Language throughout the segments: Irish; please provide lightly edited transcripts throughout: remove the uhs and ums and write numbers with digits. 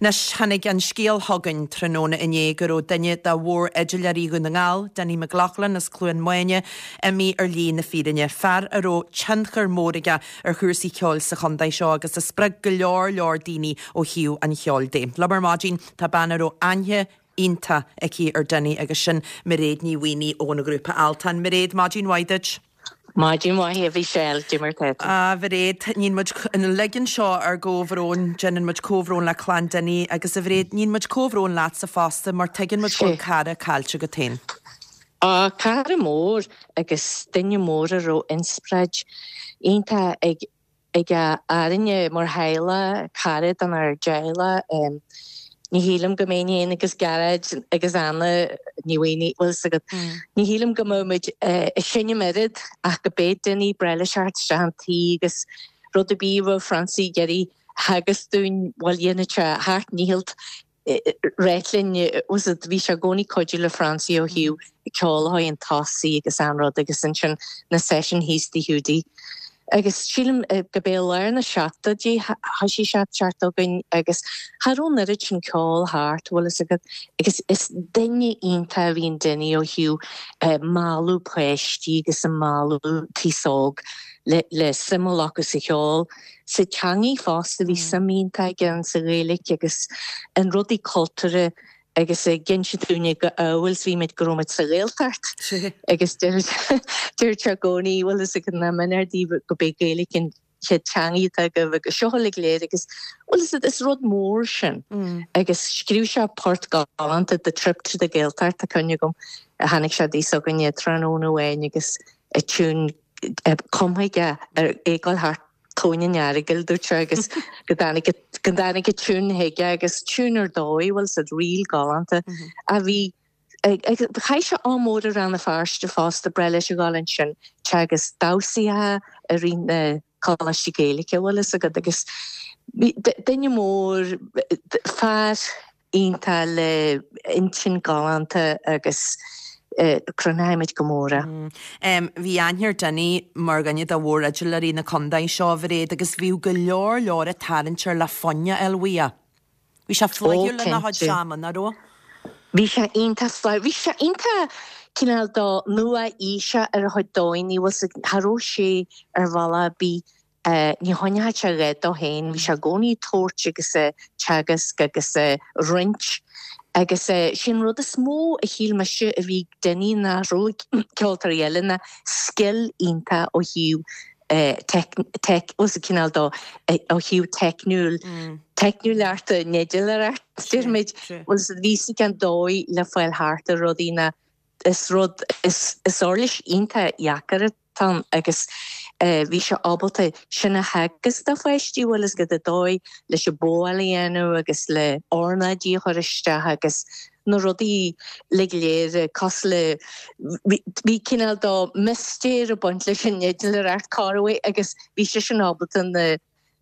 Anois, tháinig an scéal chugainn tráthnóna inné go raibh duine de mhórfhidléirí Dhún na nGall, Dinny McLaughlin as Cluain Maine, imithe ar shlí na fírinne. Fear a raibh tionchar mór aige ar chúrsaí ceoil sa chontae seo agus a spreag go leor leor daoine ó thaobh an cheoil de. Liom ar maidin tá bean a raibh aithne iontach aici ar Dinny agus sin Mairéad Ní Mhaonaigh ón ghrúpa Altan. Mairéad, maidin mhaith duit. Maidin mhaith a Mhichelle, cad é mar tá tú. A Mhairéad, níonn muid, uilig anseo ár gcomhbhrón, déanann muid comhbhrón le clann Dinny agus a Mhairéad, níonn muid comhbhrón leatsa fosta mar tuigeann muid go bhfuil cara caillte agat féin. Á, cara mór agus duine mór a raibh inspioráid iontach ag ag orainne mar theaghlach, cara donár dteaghlach. Ní shílim go mbeinn féin agus Gearóid agus Anna Ní Mhaonaigh, bhfuil 'fhios agat, ní shílim go mbeadh muid ag seinm oiread ach go b'é Dinny breá leis theacht isteach an tí agus rud ar bith a bheadh Francie ag iarraidh theagasc dúinn, bhuel dhéanfadh sé a sheacht ndícheall ráit linn, bhfuil 'fhios agat, bhí sé i gcónaí cuidiú le Francie ó thaobh ceol a chur chun tosaigh agus an rud agus ansin na session thíos Tigh Hiúdaí. Agus sílim go b'é lár na seachtóidí thoisigh sé ag teacht chugainn agus cha raibh an oiread sin ceol thart, bhfuil fhios agat, agus is duine iontach a bhí in Dinny ó thaobh mealladh páistí agus a mealladh an t-aos óg le le suim a ghlacadh sa cheol. Sa teangaidh fosta, bhí suim iontach aige ann sa Ghaeilge agus in rudaí cultúrtha agus ag inse dúinne go amhail is bhí muid go raibh muid sa Ghaeltacht agus deir sé i gcónaí bhfuil fhios agat nach méanar daoibh go b'é Gaeilge an chéad teangaidh atá agaibh agus seo uilig léir agus bhfuil fhios agat is rud mór sin agus scríobh sé port galánta The Trip to the Gaeltacht tá cuimhne agam a tháinig sé dtí s'againne tráthnóna amháin agus a tiún cumtha aige ar é ag dul thart Tóin an Earagail, dúirt sé, agus go dtáinig go dtáinig an tiún chuige agus tiún ar dóigh, bhfuil fhios agat, ríl galánta a bhí chaith sé am mór i Rann na Feirste fosta, breá leis a dhul ansin, teagasc damhsaithe i rith na Coláiste Gaeilge, bhfuil fhios agat, agus duine mór, fear iontach le intinn galánta agus cronóimid go mór é. Bhí aithne ar Dinny mar dhuine de mhórfhidléirí na contae seo, a Mhairéad, agus bhíodh go leor leor ag tarraingt air le foinn a fháil uaidh. Bhí sé flaithiúil lena chuid ama, nach raibh? Bhí sé iontach flaithiúil. Bhí sé iontach cineál do nua-aoiseach ar a chuid dóigheanna, bhfuil 's agat, cha raibh sé ar bhealach ar bith Ní choinneochadh sé a dhath dó féin, bhí sé i gcónaí ag tabhairt agus ag teagasc agus ag roinnt agus sé an rud is mó a shíl mise a bhí ag Dinny nach raibh ag ceoltóirí eile ná scil iontach ó thaobh teic, cineál dó, ó thaobh teicniúil, teicniúlachta an fhidléireacht, déarfaimid, bhuel bhí 'fhios aige an dóigh le fáil thart ar rudaí ná is rud, is uirlis iontach dheacair atá ann agus bhí sé ábalta sin a theagasc do pháistí, bhfuil 'fhios agat, an dóigh leis an bowáil a dhéanamh agus le ornáidí a chur isteach agus na rudaí uilig go léir cosúil le, bhí cineál do mistéir ag baint leis an fhidléireacht corruair agus bhí seisean ábalta na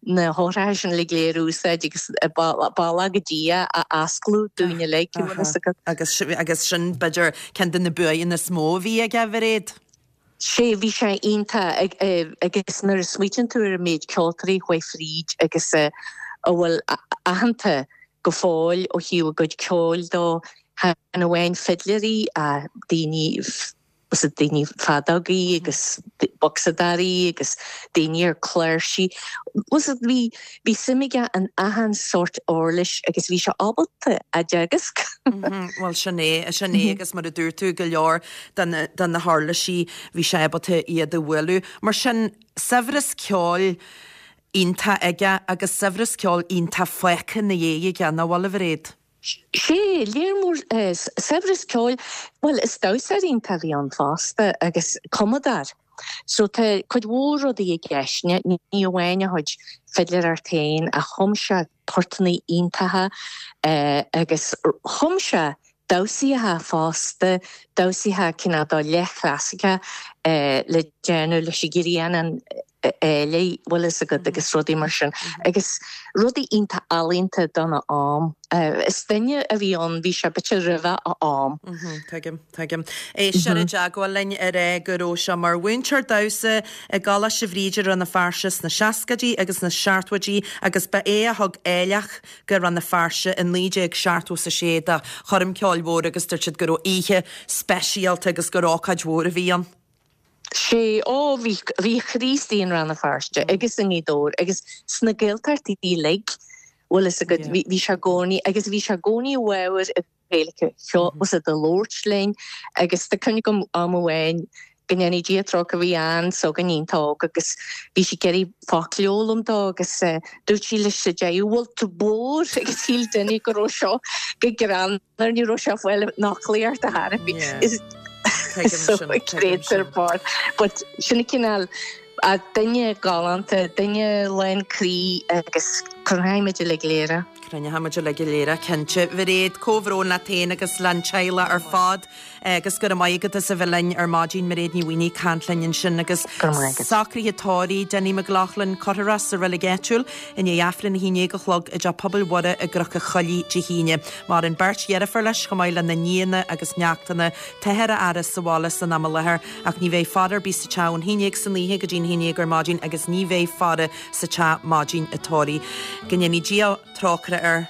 na heochracha sin uilig go léir a úsáid agus bealach go dtí é a osclú dúinn uilig, bhfuil 'fhios agat. Agus, agus sin b'fhéidir ceann de na buanna is mó a bhí aige, a Mhairéad. Sé, bhí sé iontach agus nuair a smaoitíonn tú ar an méid ceoltóirí a chuaigh fríd agus a bhfuil aitheanta go fóill ó thaobh a gcuid ceoil dó, chan amháin fidléirí ach daoine was it daoine feadógaí agus bocsadóirí agus daoine ar cláirsí. Was it bhí bhí suim aige in achan sórt uirlis agus bhí sé ábalta a dteagasc. Bhuel sin é, sin é agus mar a dúirt tú go leor de na de na huirlisí bhí sé ábalta iad a bhualadh. Mar sin saibhreas ceoil iontach aige agus saibhreas ceoil iontach fágtha ina dhiaidh aige, nach bhfuil a Mhairéad? Sé, léar mór saibhreas ceoil, bhuel is damhsóir iontach a bhí ann fosta agus cumadóir. So tá cuid mhór rudaí i gceist, ní amháin a chuid fidléireacht féin ach chum sé portanna iontacha agus chum sé damhsaíocha fosta, damhsaíocha cineál do leathchlasaiceach le déanamh leis an ghrian, an. Áiligh, bhfuil fhios agat, agus rudaí mar sin. Agus rudaí iontach ealaíonta dona am. Is duine a bhí ann, bhí sé b'fhéidir roimhe a am. Tuigim, tuigim. Éist, sé i dteagmháil linn a rá go raibh sé mar mhúinteoir damhsa i gColáiste Bhríde Rann na Feirste sna seascaidí agus sna seachtóidí agus ba é a thug áilleach go Rann na Feirste i 1976 do choirm ceoil mhór agus dúirt siad go raibh oíche speisialta agus gur ócáid mhór a bhí ann. Sé, ó, bhí, bhí a chroí istigh in Rann na Feirste agus i nGaoth Dobhair agus sna Gaeltachtaí uilig, bhfuil fhios agat, bhí, bhí sé i gcónaí, agus bhí sé i gcónaí i bhfabhar an Ghaeilge, bhfuil fhios agat ag labhairt linn agus tá cuimhne agam am amháin, go ndéanaí Dia trócaire, bhí Ann s'againn iontach óg agus bhí sí ag iarraidh focal a fhoghlaim dó agus dúirt sí leis sa deireadh, bhfuil tú bodhar agus shíl Dinny go raibh seo go greannmhar. Ní raibh sé ag fáil an fhoclaíocht ar chor ar bith. So creator bar. But sin an cineál duine galánta, duine lán croí agus cronaigh muid uilig léir é. Cronaigh muid uilig léir é, cinnte. Mhairéad, comhbhrón leat féin agus leis an teaghlach ar fad. Agus go raibh maith agat as a bheith linn ar maidin, Mairéad Ní Mhaonaigh ag caint linn ansin agus socruithe tórraimh Dinny McLaughlin curtha sa reilig áitiúil i ndiaidh Aifreann 11 a chlog i dTeach Pobail Mhuire i gCnoc an Choilligh Dé hAoine. Maireann beirt dheirfiúr leis chomh maith lena nianna agus neachtanna. Táthar á fhaire sa bhaile san am i láthair ach ní bheidh faire ar bith sa teach ón 11 san oíche go dtí'n 11 ar maidin agus ní bheidh faire sa teach maidin an tórraimh. Go ndéanaí Dia trócaire air.